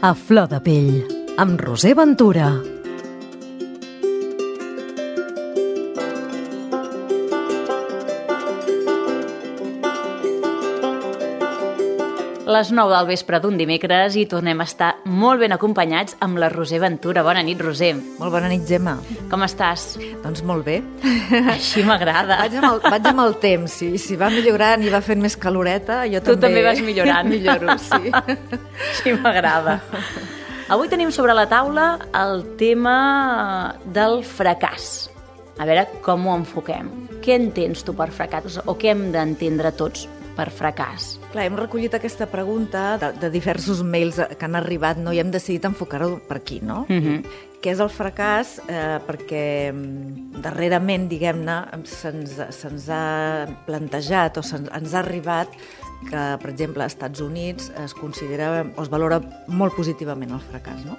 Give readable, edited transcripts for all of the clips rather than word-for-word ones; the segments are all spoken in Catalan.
A flor de pell, amb Roser Ventura. Les 9 del vespre d'un dimecres i tornem a estar molt ben acompanyats amb la Roser Ventura. Bona nit, Roser. Molt bona nit, Gemma. Com estàs? Doncs molt bé. Així m'agrada. Vaig amb el temps. Si va millorant i va fent més caloreta, jo Tu també vas millorant. Milloro, sí. Així m'agrada. Avui tenim sobre la taula el tema del fracàs. A veure com ho enfoquem. Què entens tu per fracàs? O què hem d'entendre tots per fracàs? Clar, hem recollit aquesta pregunta de diversos mails que han arribat, no? I hem decidit enfocar-ho per aquí, no? Què és el fracàs? Perquè darrerament, diguem-ne, se'ns ha plantejat o ens ha arribat que, per exemple, als Estats Units es considera o es valora molt positivament el fracàs, no?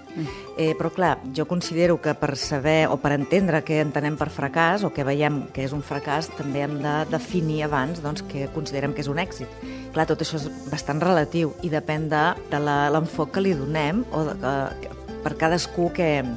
Però, clar, jo considero que per saber o per entendre què entenem per fracàs o què veiem que és un fracàs, també hem de definir abans doncs, què considerem que és un èxit. Clar, tot això és bastant relatiu i depèn de l'enfoc que li donem o per cadascú,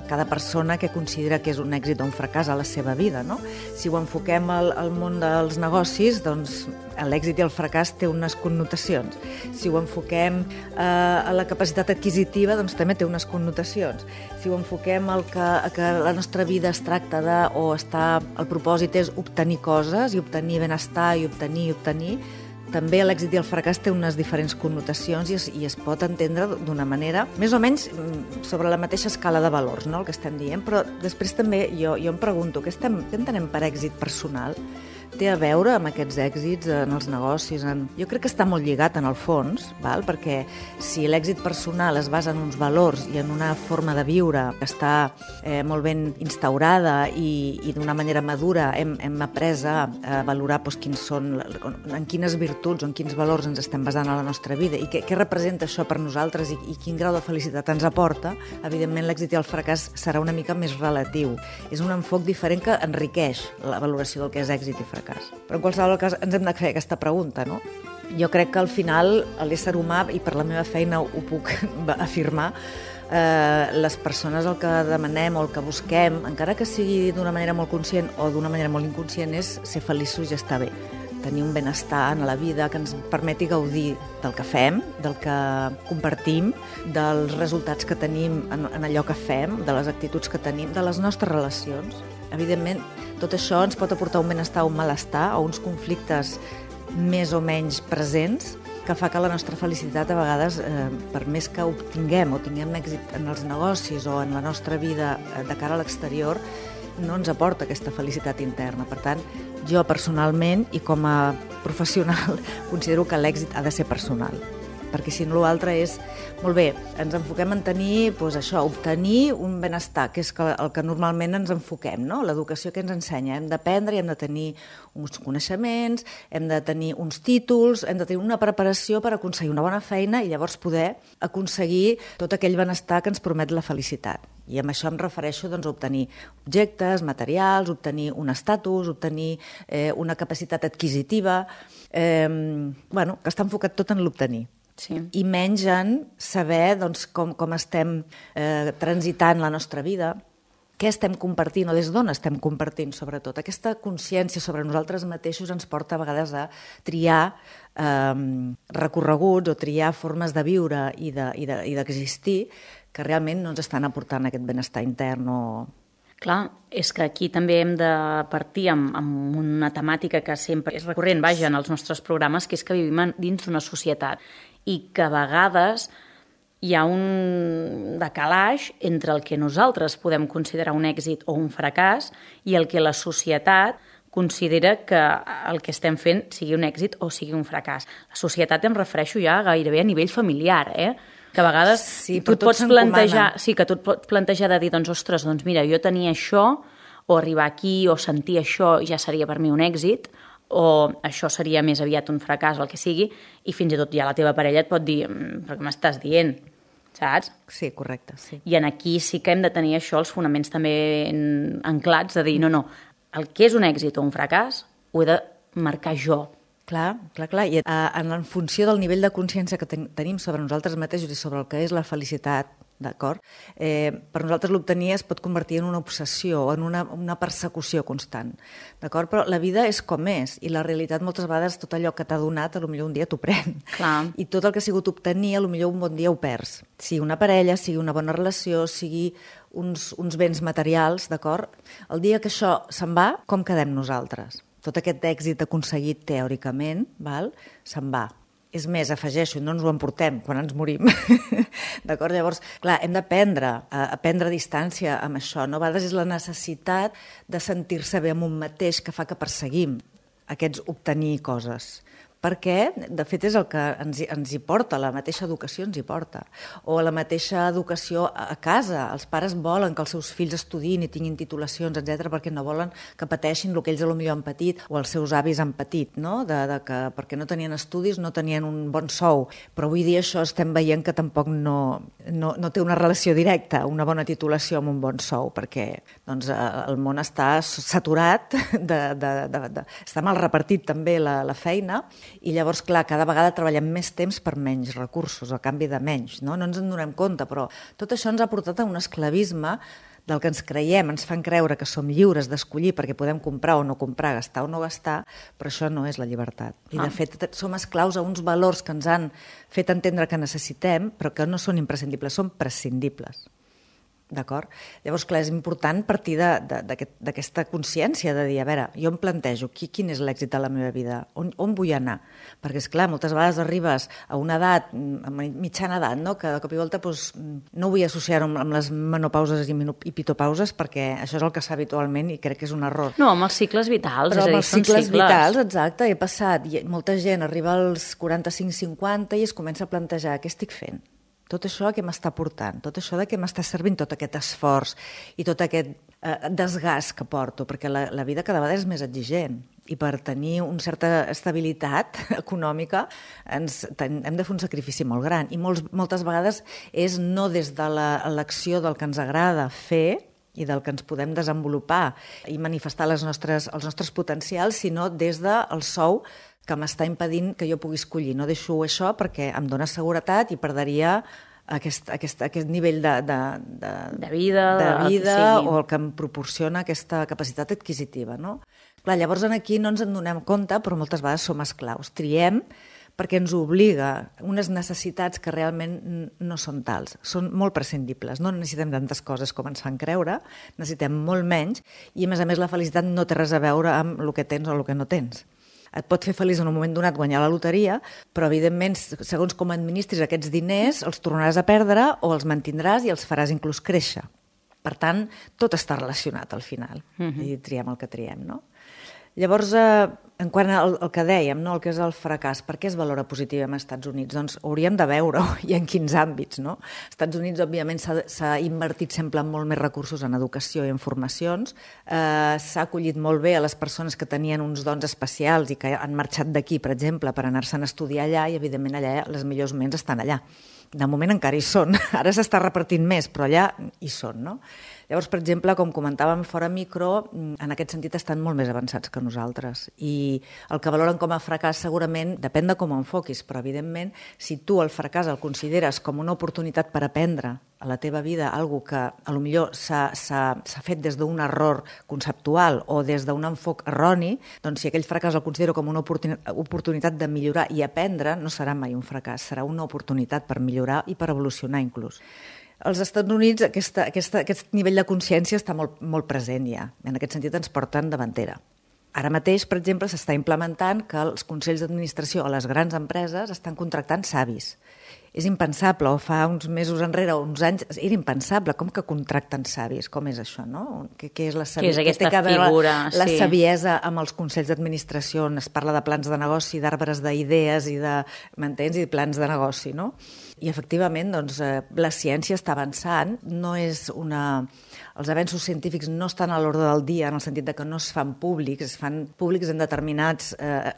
cada persona que considera que és un èxit o un fracàs a la seva vida, no? Si ho enfoquem al món dels negocis, doncs l'èxit i el fracàs té unes connotacions. Si ho enfoquem a la capacitat adquisitiva, doncs també té unes connotacions. Si ho enfoquem que la nostra vida es tracta el propòsit és obtenir coses i obtenir benestar i obtenir, també l'èxit i el fracàs té unes diferents connotacions i es pot entendre d'una manera més o menys sobre la mateixa escala de valors, no?, el que estem dient, però després també jo em pregunto, què entenem per èxit personal? Té a veure amb aquests èxits en els negocis? Jo crec que està molt lligat en el fons, perquè si l'èxit personal es basa en uns valors i en una forma de viure que està molt ben instaurada i d'una manera madura hem après a valorar en quines virtuts o en quins valors ens estem basant a la nostra vida i què representa això per nosaltres i quin grau de felicitat ens aporta, evidentment l'èxit i el fracàs serà una mica més relatiu. És un enfoc diferent que enriqueix la valoració del que és èxit i fracàs. Però en qualsevol cas ens hem de fer aquesta pregunta, no? Jo crec que al final l'ésser humà, i per la meva feina ho puc afirmar, les persones el que demanem o el que busquem, encara que sigui d'una manera molt conscient o d'una manera molt inconscient, és ser feliços i estar bé. Tenir un benestar en la vida que ens permeti gaudir del que fem, del que compartim, dels resultats que tenim en allò que fem, de les actituds que tenim, de les nostres relacions. Evidentment, tot això ens pot aportar un benestar o un malestar o uns conflictes més o menys presents que fa que la nostra felicitat a vegades, per més que obtinguem o tinguem èxit en els negocis o en la nostra vida de cara a l'exterior, no ens aporta aquesta felicitat interna. Per tant, jo personalment i com a professional considero que l'èxit ha de ser personal, perquè si no l'altre és, molt bé, ens enfoquem en tenir, obtenir un benestar, que és el que normalment ens enfoquem, no? L'educació que ens ensenya, hem d'aprendre i hem de tenir uns coneixements, hem de tenir uns títols, hem de tenir una preparació per aconseguir una bona feina i llavors poder aconseguir tot aquell benestar que ens promet la felicitat. I amb això em refereixo a obtenir objectes, materials, obtenir un estatus, obtenir una capacitat adquisitiva, que està enfocat tot en l'obtenir. Sí. I menys en saber com estem transitant la nostra vida, què estem compartint o des d'on estem compartint, sobretot. Aquesta consciència sobre nosaltres mateixos ens porta a vegades a triar recorreguts o triar formes de viure i d'existir que realment no ens estan aportant aquest benestar intern o... Clar, és que aquí també hem de partir amb una temàtica que sempre és recurrent, en els nostres programes, que és que vivim dins d'una societat i que a vegades hi ha un decalaix entre el que nosaltres podem considerar un èxit o un fracàs i el que la societat considera que el que estem fent sigui un èxit o sigui un fracàs. La societat em refereixo ja gairebé a nivell familiar, que a vegades tu et pots plantejar de dir, ostres, mira, jo tenia això, o arribar aquí, o sentir això, ja seria per mi un èxit, o això seria més aviat un fracàs o el que sigui, i fins i tot ja la teva parella et pot dir, però què m'estàs dient? Saps? Sí, correcte, sí. I aquí sí que hem de tenir això, els fonaments també anclats, de dir, no, el que és un èxit o un fracàs ho he de marcar jo. Clar. I en funció del nivell de consciència que tenim sobre nosaltres mateixos i sobre el que és la felicitat, d'acord? Per nosaltres l'obtenir es pot convertir en una obsessió o en una persecució constant, d'acord? Però la vida és com és i la realitat moltes vegades tot allò que t'ha donat potser un dia t'ho pren. Clar. I tot el que ha sigut obtenir potser un bon dia ho perds. Sigui una parella, sigui una bona relació, sigui uns béns materials, d'acord? El dia que això se'n va, com quedem nosaltres? Tot aquest èxit aconseguit teòricament, se'n va. És més, afegeixo, no ens ho emportem quan ens morim. D'acord? Llavors, clar, hem d'aprendre a prendre distància amb això. No? A vegades és la necessitat de sentir-se bé amb un mateix que fa que perseguim aquests obtenir coses. Perquè, de fet, és el que ens hi porta, la mateixa educació ens hi porta. O la mateixa educació a casa. Els pares volen que els seus fills estudiïn i tinguin titulacions, etc., perquè no volen que pateixin el que ells potser han patit o els seus avis han patit, no? Que perquè no tenien estudis, no tenien un bon sou. Però avui dia això estem veient que tampoc no té una relació directa, una bona titulació amb un bon sou, perquè doncs, el món està saturat, està mal repartit també la feina. I llavors, clar, cada vegada treballem més temps per menys recursos, a canvi de menys, no? No ens en donem compte, però tot això ens ha portat a un esclavisme del que ens creiem, ens fan creure que som lliures d'escollir perquè podem comprar o no comprar, gastar o no gastar, però això no és la llibertat. I, de fet, som esclaus a uns valors que ens han fet entendre que necessitem, però que no són imprescindibles, són prescindibles. D'acord? Llavors, clar, és important partir d'aquesta consciència de dir, a veure, jo em plantejo quin és l'èxit de la meva vida, on vull anar? Perquè, esclar, moltes vegades arribes a una edat, a mitjana edat, no? Que de cop i volta no vull associar-ho amb les menopauses i pitopauses perquè això és el que es fa habitualment i crec que és un error. No, amb els cicles vitals, però és a dir, amb els cicles cicles vitals, exacte, he passat, i molta gent arriba als 45-50 i es comença a plantejar què estic fent. Tot això que m'està portant, tot això de què m'està servint tot aquest esforç i tot aquest desgast que porto, perquè la vida cada vegada és més exigent i per tenir una certa estabilitat econòmica hem de fer un sacrifici molt gran i moltes vegades és no des de l'acció del que ens agrada fer i del que ens podem desenvolupar i manifestar els nostres potencials, sinó des del sou que m'està impedint que jo pugui escollir. No deixo això perquè em dona seguretat i perdria aquest nivell de vida o el que em proporciona aquesta capacitat adquisitiva. No? Clar, llavors aquí no ens en donem compte, però moltes vegades som esclaus. Triem perquè ens obliga unes necessitats que realment no són tals, són molt prescindibles. No necessitem tantes coses com ens fan creure, necessitem molt menys i, a més, la felicitat no té res a veure amb el que tens o el que no tens. Et pot fer feliç en un moment donat guanyar la loteria, però evidentment, segons com administris aquests diners, els tornaràs a perdre o els mantindràs i els faràs inclús créixer. Per tant, tot està relacionat al final, i triem el que triem, no? Llavors, en quant al que dèiem, no? El que és el fracàs, per què es valora positivament als Estats Units? Doncs hauríem de veure-ho i en quins àmbits, no? Als Estats Units, òbviament, s'ha invertit sempre molt més recursos en educació i en formacions, s'ha acollit molt bé a les persones que tenien uns dons especials i que han marxat d'aquí, per exemple, per anar-se'n a estudiar allà i, evidentment, allà les millors ments estan allà. De moment encara hi són, ara s'està repartint més, però allà hi són, no? Llavors, per exemple, com comentàvem fora micro, en aquest sentit estan molt més avançats que nosaltres i el que valoren com a fracàs segurament depèn de com ho enfoquis, però evidentment si tu el fracàs el consideres com una oportunitat per aprendre a la teva vida alguna que potser s'ha fet des d'un error conceptual o des d'un enfoc erroni, doncs si aquell fracàs el considero com una oportunitat de millorar i aprendre, no serà mai un fracàs, serà una oportunitat per millorar i per evolucionar inclús. Als Estats Units aquest nivell de consciència està molt present ja. En aquest sentit ens porten davantera. Ara mateix, per exemple, s'està implementant que els consells d'administració o les grans empreses estan contractant savis. És impensable, o fa uns mesos enrere o uns anys, era impensable. Com que contracten savis? Com és això, no? Què és la saviesa? Què és aquesta figura? La saviesa amb els consells d'administració, on es parla de plans de negoci, d'arbres d'idees i m'entens? I de plans de negoci, no? I efectivament, doncs, la ciència està avançant, els avenços científics no estan a l'ordre del dia en el sentit de que no es fan públics en determinats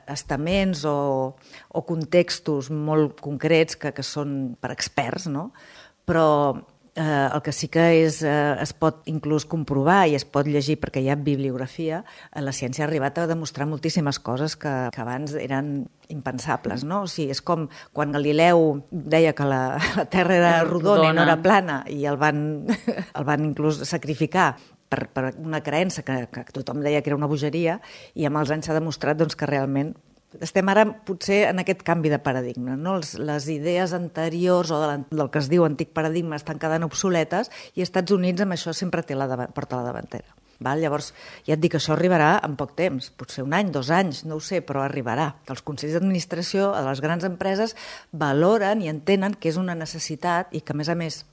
estaments o contextos molt concrets que són per experts, no? Però el que sí que es pot inclús comprovar i es pot llegir perquè hi ha bibliografia, la ciència ha arribat a demostrar moltíssimes coses que abans eren impensables, no? O sigui, és com quan Galileu deia que la Terra era rodona i no era plana i el van inclús sacrificar per una creença que tothom deia que era una bogeria, i amb els anys s'ha demostrat doncs, que realment estem ara potser en aquest canvi de paradigma, no? Les idees anteriors o del que es diu antic paradigma estan quedant obsoletes i als Estats Units amb això sempre porta la davantera. Val? Llavors, ja et dic que això arribarà en poc temps, potser 1 any, 2 anys, no ho sé, però arribarà. Que els consells d'administració de les grans empreses valoren i entenen que és una necessitat i que, a més,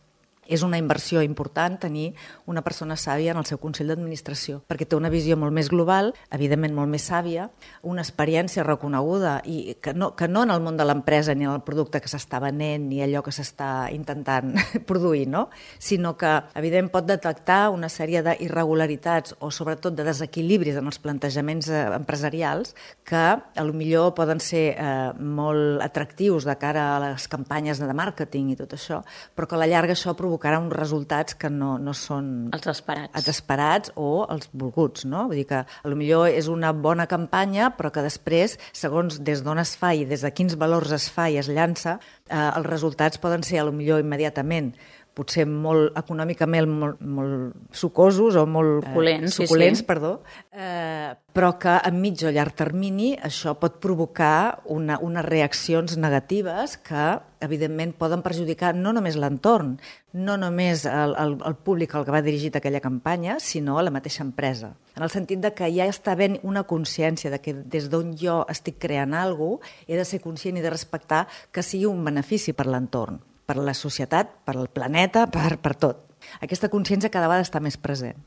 és una inversió important tenir una persona sàvia en el seu consell d'administració, perquè té una visió molt més global, evidentment molt més sàvia, una experiència reconeguda, i que no en el món de l'empresa ni en el producte que s'està venent ni allò que s'està intentant produir, no? Sinó que, evidentment, pot detectar una sèrie d'irregularitats o, sobretot, de desequilibris en els plantejaments empresarials que, potser poden ser molt atractius de cara a les campanyes de màrqueting i tot això, però que a la llarga això provocarà uns resultats que no són els esperats o els volguts, no? Vull dir que potser és una bona campanya, però que després, segons des d'on es fa i des de quins valors es fa i es llança, els resultats poden ser potser immediatament potser molt econòmicament molt sucosos o molt suculents, perdó, però que a mig o llarg termini això pot provocar unes reaccions negatives que, evidentment, poden perjudicar no només l'entorn, no només el públic al que va dirigit aquella campanya, sinó a la mateixa empresa. En el sentit de que ja està havent una consciència de que des d'on jo estic creant alguna cosa, he de ser conscient i de respectar que sigui un benefici per l'entorn, per la societat, per al planeta, per tot. Aquesta consciència cada vegada està més present.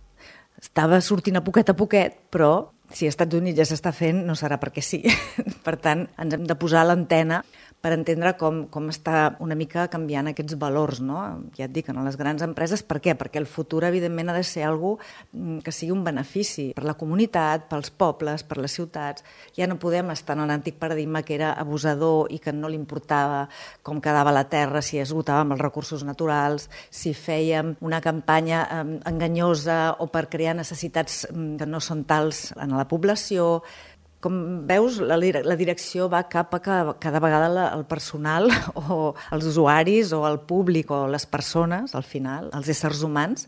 Estava sortint a poquet, però si als Estats Units ja s'està fent, no serà perquè sí. Per tant, ens hem de posar a l'antena per entendre com està una mica canviant aquests valors, no? Ja et dic, en les grans empreses. Per què? Perquè el futur, evidentment, ha de ser alguna cosa que sigui un benefici per la comunitat, pels pobles, per les ciutats. Ja no podem estar en l'antic paradigma que era abusador i que no li importava com quedava la terra, si esgotàvem els recursos naturals, si fèiem una campanya enganyosa o per crear necessitats que no són tals en la població. Com veus, la direcció va cap a que cada vegada el personal o els usuaris o el públic o les persones, al final, els éssers humans,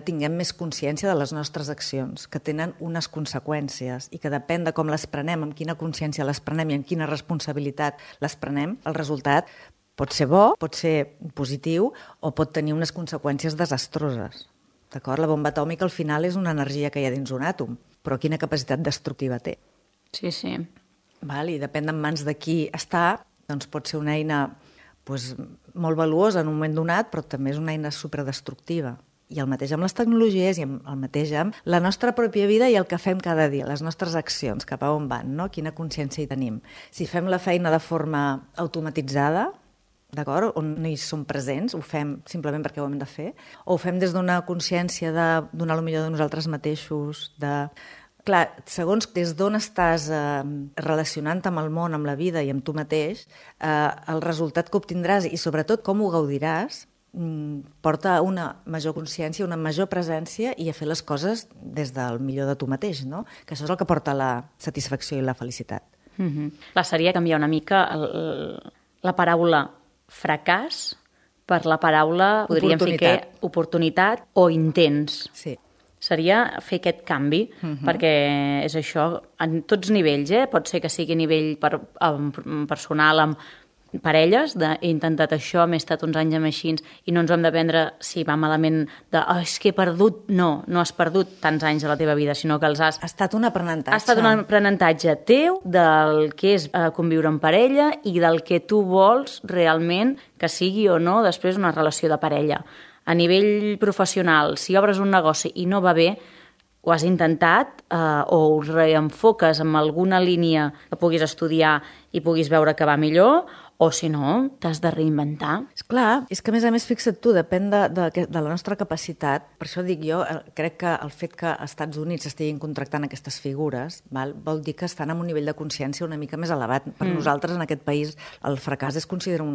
tinguem més consciència de les nostres accions, que tenen unes conseqüències i que depèn de com les prenem, amb quina consciència les prenem i amb quina responsabilitat les prenem, el resultat pot ser bo, pot ser positiu o pot tenir unes conseqüències desastroses. D'acord? La bomba atòmica al final és una energia que hi ha dins un àtom, però quina capacitat destructiva té. Sí, sí. I depèn en mans de qui està, doncs pot ser una eina molt valuosa en un moment donat, però també és una eina superdestructiva. I el mateix amb les tecnologies i el mateix amb la nostra pròpia vida i el que fem cada dia, les nostres accions, cap a on van, no? Quina consciència hi tenim. Si fem la feina de forma automatitzada, d'acord? On no hi som presents, ho fem simplement perquè ho hem de fer, o ho fem des d'una consciència de donar el millor de nosaltres mateixos, Clar, segons des d'on estàs relacionant amb el món, amb la vida i amb tu mateix, el resultat que obtindràs i sobretot com ho gaudiràs porta a una major consciència, una major presència i a fer les coses des del millor de tu mateix, no? Que això és el que porta la satisfacció i la felicitat. Clar, seria canviar una mica la paraula fracàs per la paraula, podríem ficar, oportunitat o intents. Sí. Seria fer aquest canvi, perquè és això, en tots nivells, pot ser que sigui a nivell personal, amb parelles, he intentat això, m'he estat uns anys amb així, i no ens ho hem de prendre, si va malament, és que he perdut. No has perdut tants anys de la teva vida, sinó que els has... Ha estat un aprenentatge. Ha estat un aprenentatge teu del que és conviure en parella i del que tu vols realment que sigui o no després una relació de parella. A nivell professional, si obres un negoci i no va bé, ho has intentat o ho reenfoques en alguna línia que puguis estudiar i puguis veure que va millor, o si no, t'has de reinventar. Esclar, és que a més, fixa't tu, depèn de la nostra capacitat. Per això dic jo, crec que el fet que als Estats Units estiguin contractant aquestes figures vol dir que estan en un nivell de consciència una mica més elevat. Per nosaltres, en aquest país, el fracàs es considera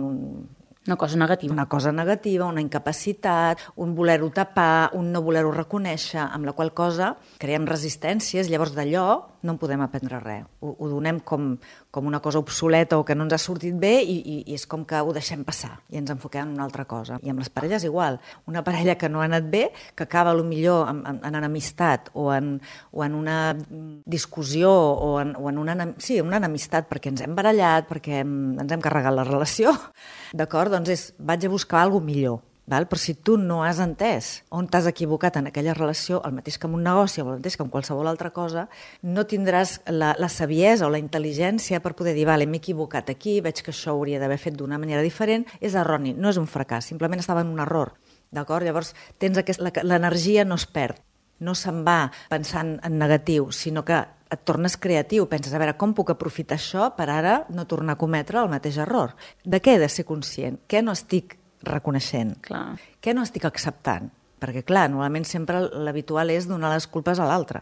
Una cosa negativa. Una cosa negativa, una incapacitat, un voler-ho tapar, un no voler-ho reconèixer, amb la qual cosa creem resistències, llavors d'allò no en podem aprendre res. Ho donem com una cosa obsoleta o que no ens ha sortit bé i és com que ho deixem passar i ens enfoquem en una altra cosa. I amb les parelles igual. Una parella que no ha anat bé, que acaba potser en enemistat o en una discussió o en una enemistat perquè ens hem barallat, perquè ens hem carregat la relació, d'acord? Doncs vaig a buscar alguna cosa millor. Val? Però si tu no has entès on t'has equivocat en aquella relació, el mateix que en un negoci o el mateix que en qualsevol altra cosa, no tindràs la saviesa o la intel·ligència per poder dir, vale, m'he equivocat aquí, veig que això ho hauria d'haver fet d'una manera diferent, és erroni, no és un fracàs, simplement estava en un error. D'acord? Llavors, l'energia no es perd, no se'n va pensant en negatiu, sinó que et tornes creatiu, penses, a veure, com puc aprofitar això per ara no tornar a cometre el mateix error? De què he de ser conscient? Què no estic reconeixent? Clar. Què no estic acceptant? Perquè, clar, normalment sempre l'habitual és donar les culpes a l'altre.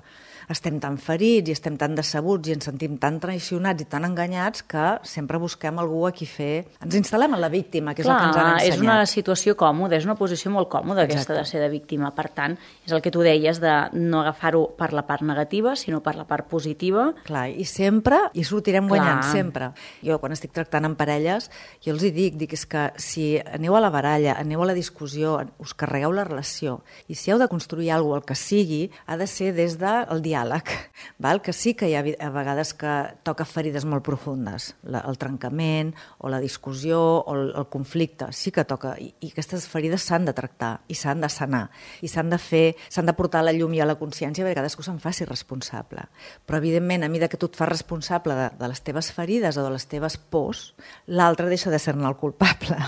Estem tan ferits i estem tan decebuts i ens sentim tan traicionats i tan enganyats que sempre busquem algú a qui fer... Ens instal·lem en la víctima, que és el que ens han ensenyat. És una situació còmoda, és una posició molt còmoda aquesta de ser de víctima. Per tant, és el que tu deies de no agafar-ho per la part negativa, sinó per la part positiva. Clar, i sempre hi sortirem guanyant, sempre. Jo, quan estic tractant amb parelles, jo els hi dic és que si aneu a la baralla, aneu a la discussió, us carregueu la relació, i si heu de construir alguna cosa, el que sigui, ha de ser des del diàleg. Val? Que sí que hi ha a vegades que toca ferides molt profundes, el trencament o la discussió o el conflicte, sí que toca, i aquestes ferides s'han de tractar i s'han de sanar i s'han de portar a la llum i a la consciència perquè cadascú se'n faci responsable. Però evidentment, a mesura que tu et fas responsable de les teves ferides o de les teves pors, l'altre deixa de ser-ne el culpable.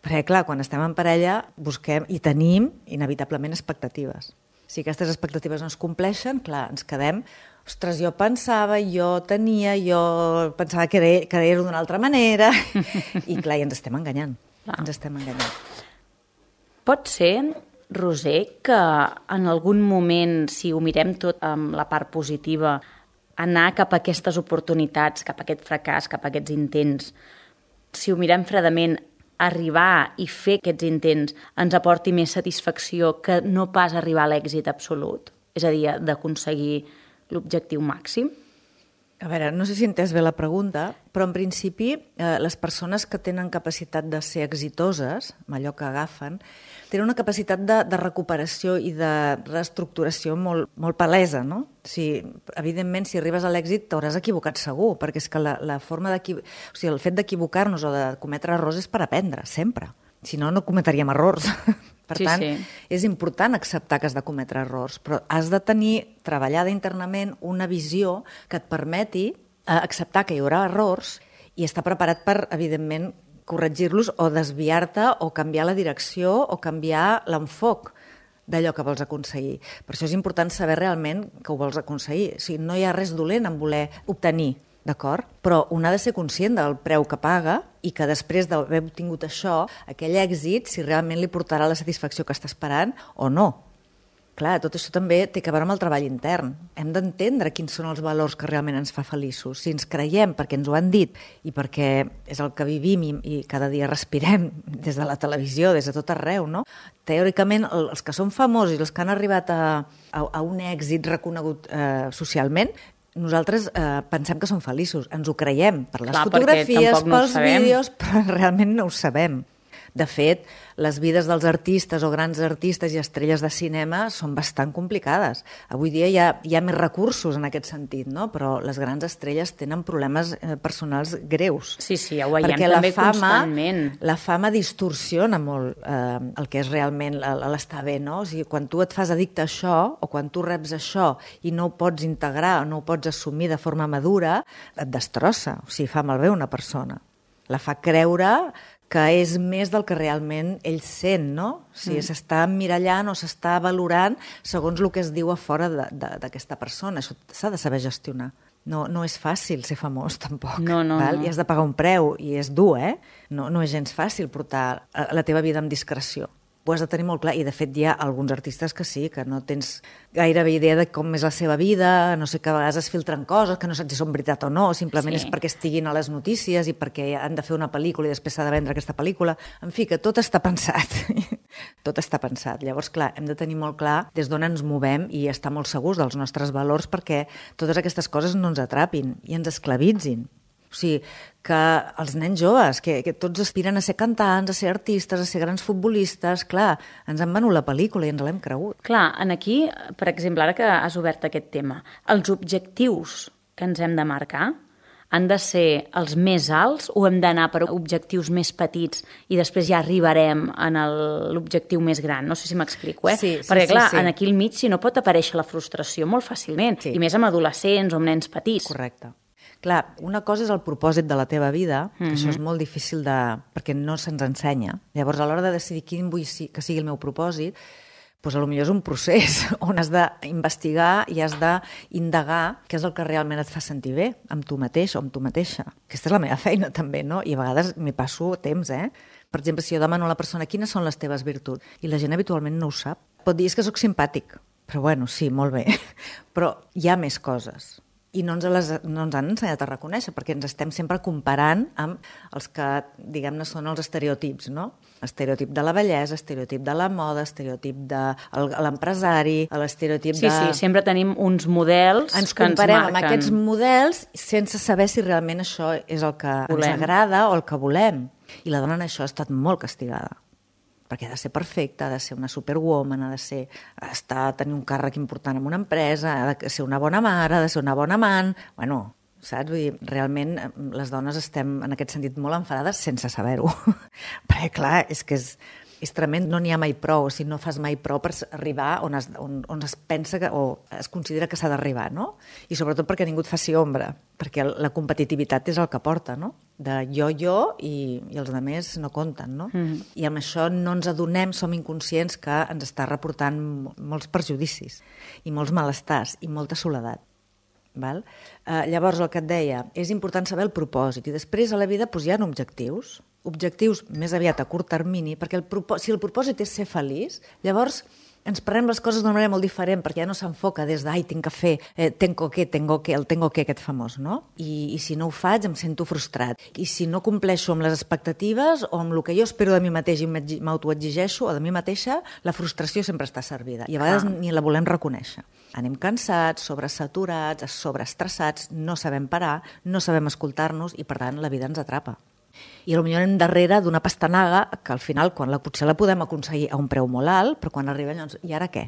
Perquè clar, quan estem en parella busquem i tenim inevitablement expectatives. Si aquestes expectatives no es compleixen, clar, ens quedem, ostres, jo pensava que era d'una altra manera, i clar, ens estem enganyant. Ens estem enganyant. Pot ser, Roser, que en algun moment, si ho mirem tot amb la part positiva, anar cap a aquestes oportunitats, cap a aquest fracàs, cap a aquests intents, si ho mirem fredament, arribar i fer aquests intents ens aporti més satisfacció que no pas arribar a l'èxit absolut? És a dir, d'aconseguir l'objectiu màxim? A veure, no sé si he entès bé la pregunta, però en principi les persones que tenen capacitat de ser exitoses, amb allò que agafen, tenen una capacitat de recuperació i de reestructuració molt palesa, no? Evidentment, si arribes a l'èxit t'hauràs equivocat segur, perquè és que la forma el fet d'equivocar-nos o de cometre errors és per aprendre, sempre. Si no, no cometríem errors. Per tant, és important acceptar que has de cometre errors, però has de tenir treballada internament una visió que et permeti acceptar que hi haurà errors i estar preparat per, evidentment, corregir-los o desviar-te o canviar la direcció o canviar l'enfoc d'allò que vols aconseguir. Per això és important saber realment que ho vols aconseguir. O sigui, no hi ha res dolent en voler obtenir, d'acord? Però un ha de ser conscient del preu que paga i que després d'haver obtingut això, aquell èxit, si realment li portarà la satisfacció que està esperant o no. Clar, tot això també té a veure amb el treball intern. Hem d'entendre quins són els valors que realment ens fa feliços. Si ens creiem perquè ens ho han dit i perquè és el que vivim i cada dia respirem des de la televisió, des de tot arreu, no? Teòricament, els que són famosos i els que han arribat a un èxit reconegut socialment, nosaltres pensem que són feliços, ens ho creiem per les fotografies, pels vídeos, però realment no ho sabem. De fet, les vides dels artistes o grans artistes i estrelles de cinema són bastant complicades. Avui dia hi ha més recursos en aquest sentit, no? Però les grans estrelles tenen problemes personals greus. Sí, ja ho veiem també constantment. La fama distorsiona molt el que és realment l'estar bé, no? O sigui, quan tu et fas addicte a això o quan tu reps això i no ho pots integrar o no ho pots assumir de forma madura, et destrossa, o sigui, fa malbé una persona. La fa creure que és més del que realment ell sent, no? O sigui, s'està emmirallant o s'està valorant segons el que es diu a fora d'aquesta persona. Això s'ha de saber gestionar. No és fàcil ser famós, tampoc. No. I has de pagar un preu, i és dur, eh? No és gens fàcil portar la teva vida amb discreció. ho has de tenir molt clar, i de fet hi ha alguns artistes que sí, que no tens gairebé idea de com és la seva vida, no sé, que a vegades es filtren coses, que no saps si són veritat o no, simplement és perquè estiguin a les notícies i perquè han de fer una pel·lícula i després s'ha de vendre aquesta pel·lícula. En fi, que tot està pensat. Tot està pensat. Llavors, clar, hem de tenir molt clar des d'on ens movem i estar molt segurs dels nostres valors perquè totes aquestes coses no ens atrapin i ens esclavitzin. O sigui, que els nens joves, que tots aspiren a ser cantants, a ser artistes, a ser grans futbolistes, clar, ens han venut la pel·lícula i ens l'hem cregut. Clar, aquí, per exemple, ara que has obert aquest tema, els objectius que ens hem de marcar han de ser els més alts o hem d'anar per objectius més petits i després ja arribarem a l'objectiu més gran? No sé si m'explico, Sí, perquè, clar, sí. aquí al mig si no pot aparèixer la frustració molt fàcilment, i més amb adolescents o amb nens petits. Correcte. Clar, una cosa és el propòsit de la teva vida, que això és molt difícil perquè no se'ns ensenya. Llavors, a l'hora de decidir quin vull que sigui el meu propòsit, doncs potser és un procés on has d'investigar i has d'indagar què és el que realment et fa sentir bé amb tu mateix o amb tu mateixa. Aquesta és la meva feina també, no? I a vegades m'hi passo temps, Per exemple, si jo demano a la persona quines són les teves virtuts i la gent habitualment no ho sap, pot dir que sóc simpàtic, però bueno, sí, molt bé. Però hi ha més coses. I no ens han ensenyat a reconèixer, perquè ens estem sempre comparant amb els que, diguem-ne, són els estereotips, no? Estereotip de la bellesa, estereotip de la moda, estereotip de l'empresari, l'estereotip de... Sí, sempre tenim uns models que ens marquen. Ens comparem amb aquests models sense saber si realment això és el que ens agrada o el que volem. I la dona en això ha estat molt castigada. Perquè ha de ser perfecta, ha de ser una superwoman, ha de tenir un càrrec important en una empresa, ha de ser una bona mare, ha de ser una bona amant... Bueno, saps? Vull dir, realment les dones estem en aquest sentit molt enfadades sense saber-ho. Perquè, clar, és que és tremend, no n'hi ha mai prou, o sigui, no fas mai prou per arribar on es pensa o es considera que s'ha d'arribar, no? I sobretot perquè ningú et faci ombra, perquè la competitivitat és el que porta, no? De jo i els altres no compten, no? I amb això no ens adonem, som inconscients que ens està reportant molts perjudicis i molts malestars i molta soledat. Val? Llavors, el que et deia, és important saber el propòsit i després a la vida hi ha objectius més aviat a curt termini, perquè si el propòsit és ser feliç, llavors ens prenem les coses d'una manera molt diferent, perquè ja no s'enfoca des de, tinc que fer, tengo que, el tengo que, aquest famós, no? I si no ho faig em sento frustrat. I si no compleixo amb les expectatives o amb el que jo espero de mi mateix i m'autoexigeixo o de mi mateixa, la frustració sempre està servida. I a vegades ni la volem reconèixer. Anem cansats, sobresaturats, sobreestressats, no sabem parar, no sabem escoltar-nos i, per tant, la vida ens atrapa. I potser anem darrere d'una pastanaga que al final potser la podem aconseguir a un preu molt alt, però quan arriba llavors, i ara què?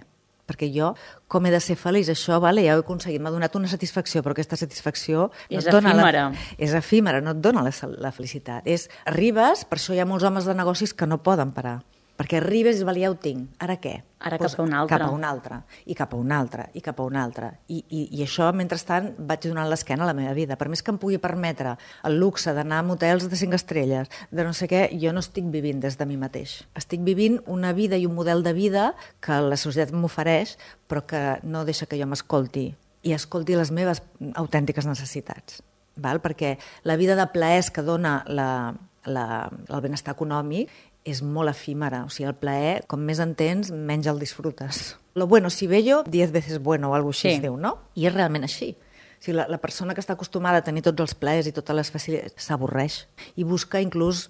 Perquè jo, com he de ser feliç? Això, ja ho he aconseguit, m'ha donat una satisfacció, però aquesta satisfacció és efímera. És efímera, no et dona la felicitat. Arribes, per això hi ha molts homes de negocis que no poden parar. Perquè arribes i ja ho tinc, ara què? Ara cap a un altre. Cap a un altre, i cap a un altre, i cap a un altre. I això, mentrestant, vaig donant l'esquena a la meva vida. Per més que em pugui permetre el luxe d'anar a motels de 5 estrelles, de no sé què, jo no estic vivint des de mi mateix. Estic vivint una vida i un model de vida que la societat m'ofereix, però que no deixa que jo m'escolti i escolti les meves autèntiques necessitats. Val? Perquè la vida de plaers que dona el benestar econòmic és molt efímera, o sigui, el plaer, com més en tens, menys el disfrutes. Lo bueno, si bello, 10 veces bueno, o alguna cosa així es diu, no? I és realment així. O sigui, la persona que està acostumada a tenir tots els plaers i totes les facilitats s'avorreix i busca inclús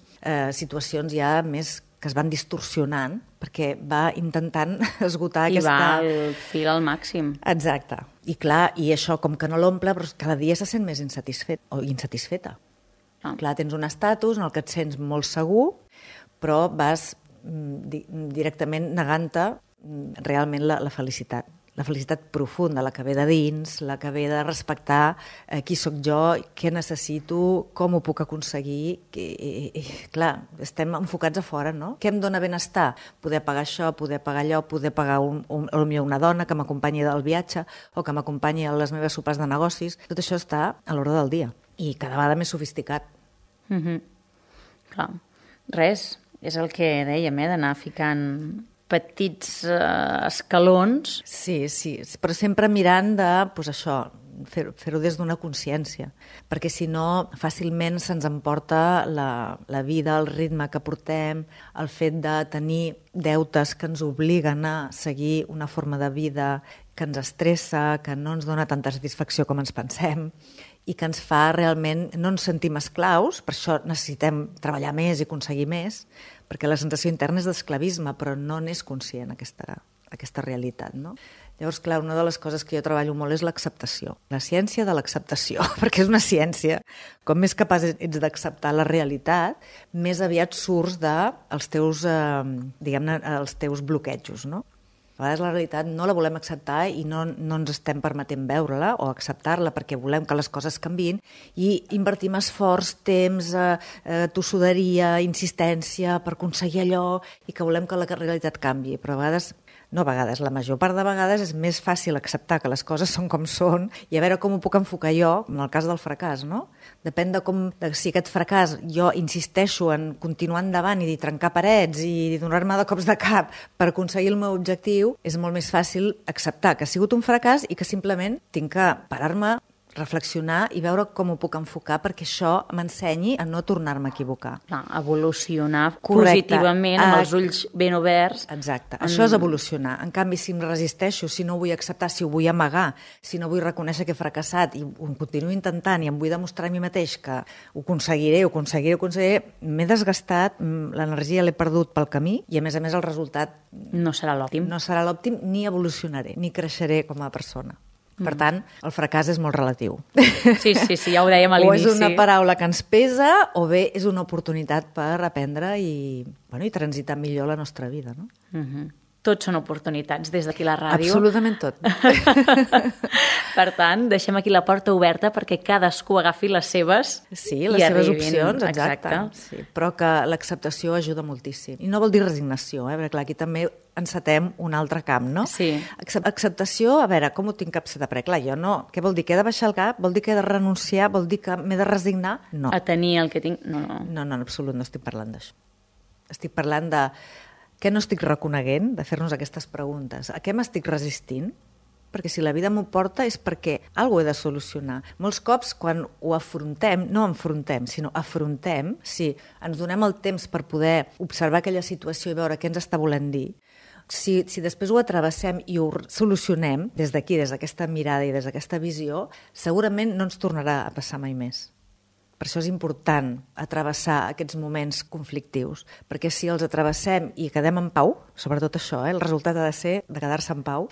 situacions ja més que es van distorsionant perquè va intentant esgotar aquesta... I va al fil al màxim. Exacte. I clar, i això com que no l'omple, però cada dia se sent més insatisfet o insatisfeta. Clar, tens un estatus en el que et sents molt segur, però vas directament negant-te realment la felicitat. La felicitat profunda, la que ve de dins, la que ve de respectar qui sóc jo, què necessito, com ho puc aconseguir. Clar, estem enfocats a fora, no? Què em dona benestar? Poder pagar això, poder pagar allò, poder pagar potser una dona que m'acompanyi del viatge o que m'acompanyi a les meves sopars de negocis. Tot això està a l'ordre del dia i cada vegada més sofisticat. Clar, res, és el que dèiem, d'anar ficant petits escalons. Sí, però sempre mirant de, doncs això, fer-ho des d'una consciència, perquè si no fàcilment se'ns emporta la vida, el ritme que portem, el fet de tenir deutes que ens obliguen a seguir una forma de vida que ens estressa, que no ens dona tanta satisfacció com ens pensem i que ens fa realment, no ens sentim esclaus, per això necessitem treballar més i aconseguir més, perquè la sensació interna és d'esclavisme, però no n'és conscient aquesta realitat, no? Llavors, clar, una de les coses que jo treballo molt és l'acceptació. La ciència de l'acceptació, perquè és una ciència. Com més capaç ets d'acceptar la realitat, més aviat surts dels teus, diguem-ne, els teus bloquejos, no? A vegades la realitat no la volem acceptar i no ens estem permetent veure-la o acceptar-la perquè volem que les coses canviïn i invertim esforç, temps, tossuderia, insistència per aconseguir allò i que volem que la realitat canviï. Però a vegades, la major part de vegades és més fàcil acceptar que les coses són com són i a veure com ho puc enfocar jo, en el cas del fracàs, no? Depèn de si aquest fracàs jo insisteixo en continuar endavant i trencar parets i donar-me de cops de cap per aconseguir el meu objectiu, és molt més fàcil acceptar que ha sigut un fracàs i que simplement tinc que parar-me, reflexionar i veure com ho puc enfocar perquè això m'ensenyi a no tornar-me a equivocar. Evolucionar positivament, amb els ulls ben oberts. Exacte, això és evolucionar. En canvi, si em resisteixo, si no ho vull acceptar, si ho vull amagar, si no vull reconèixer que he fracassat i ho continuo intentant i em vull demostrar a mi mateix que ho aconseguiré, m'he desgastat, l'energia l'he perdut pel camí i a més el resultat no serà l'òptim. No serà l'òptim, ni evolucionaré, ni creixeré com a persona. Per tant, el fracàs és molt relatiu. Sí, ja ho dèiem a l'inici. O és una paraula que ens pesa o bé és una oportunitat per aprendre i transitar millor la nostra vida, no? Tots són oportunitats des d'aquí la ràdio. Absolutament tot. Per tant, deixem aquí la porta oberta perquè cadascú agafi les seves seves opcions, exacte. Sí, però que l'acceptació ajuda moltíssim. I no vol dir resignació, perquè clar, aquí també encetem un altre camp, no? Sí. Acceptació, a veure, com ho tinc capçat? Perquè clar, jo no... Què vol dir? Que he de baixar el cap? Vol dir que he de renunciar? Vol dir que m'he de resignar? No. A tenir el que tinc? No, en absolut no estic parlant d'això. Estic parlant de què no estic reconeguent, de fer-nos aquestes preguntes. A què m'estic resistint? Perquè si la vida m'ho porta és perquè alguna cosa he de solucionar. Molts cops, quan ho afrontem, no enfrontem, sinó afrontem, si ens donem el temps per poder observar aquella situació i veure què ens està volent dir, si després ho atravessem i ho solucionem des d'aquí, des d'aquesta mirada i des d'aquesta visió, segurament no ens tornarà a passar mai més. Per això és important atravessar aquests moments conflictius, perquè si els atravessem i quedem en pau, sobretot això, el resultat ha de ser de quedar-se en pau,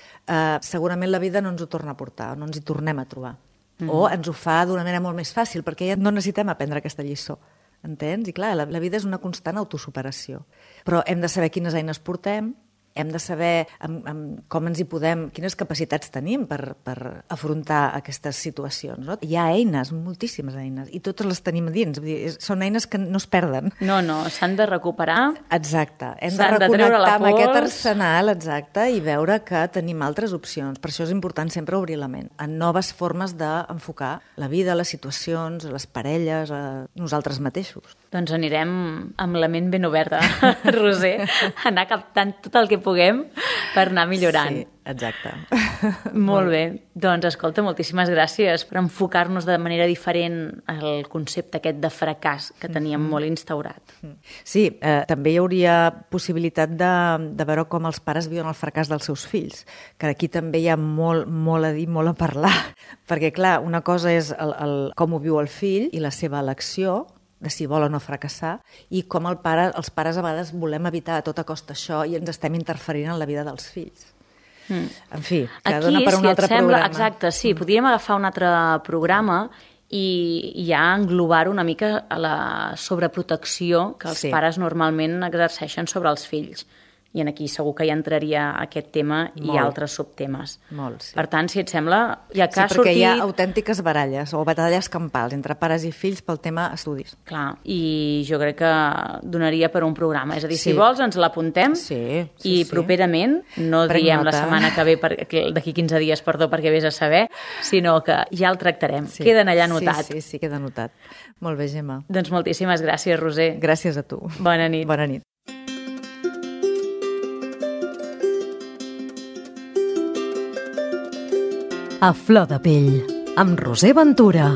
segurament la vida no ens ho torna a portar, no ens hi tornem a trobar. O ens ho fa d'una manera molt més fàcil, perquè ja no necessitem aprendre aquesta lliçó. Entens? I clar, la vida és una constant autosuperació. Però hem de saber quines eines portem, hem de saber com ens hi podem, quines capacitats tenim per afrontar aquestes situacions. No? Hi ha eines, moltíssimes eines, i totes les tenim a dins. Vull dir, són eines que no es perden. No, s'han de recuperar. Exacte. Hem de reconnectar amb aquest arsenal, exacte, i veure que tenim altres opcions. Per això és important sempre obrir la ment a noves formes d'enfocar la vida, les situacions, les parelles, nosaltres mateixos. Doncs anirem amb la ment ben oberta, Roser, anar captant tot el que puguem per anar millorant. Sí, exacte. Molt bé. Doncs, escolta, moltíssimes gràcies per enfocar-nos de manera diferent al concepte aquest de fracàs que teníem molt instaurat. Sí, també hi hauria possibilitat de veure com els pares viuen el fracàs dels seus fills, que aquí també hi ha molt a dir, molt a parlar, perquè, clar, una cosa és com ho viu el fill i la seva elecció, de si vol o no fracassar, i com els pares a vegades volem evitar a tota costa això i ens estem interferint en la vida dels fills. En fi, que dona per un altre programa. Exacte, sí, podríem agafar un altre programa i ja englobar-ho una mica a la sobreprotecció que els pares normalment exerceixen sobre els fills. I aquí segur que hi entraria aquest tema i altres subtemes. Molt, sí. Per tant, si et sembla, ja que ha sortit... Sí, perquè hi ha autèntiques baralles o batalles campals entre pares i fills pel tema estudis. Clar, i jo crec que donaria per un programa. És a dir, si vols, ens l'apuntem i properament, no diem la setmana que ve, d'aquí 15 dies, perdó, perquè vés a saber, sinó que ja el tractarem. Queden allà anotat. Sí, queda anotat. Molt bé, Gemma. Doncs moltíssimes gràcies, Roser. Gràcies a tu. Bona nit. Bona nit. A flor de pell, amb Roser Ventura.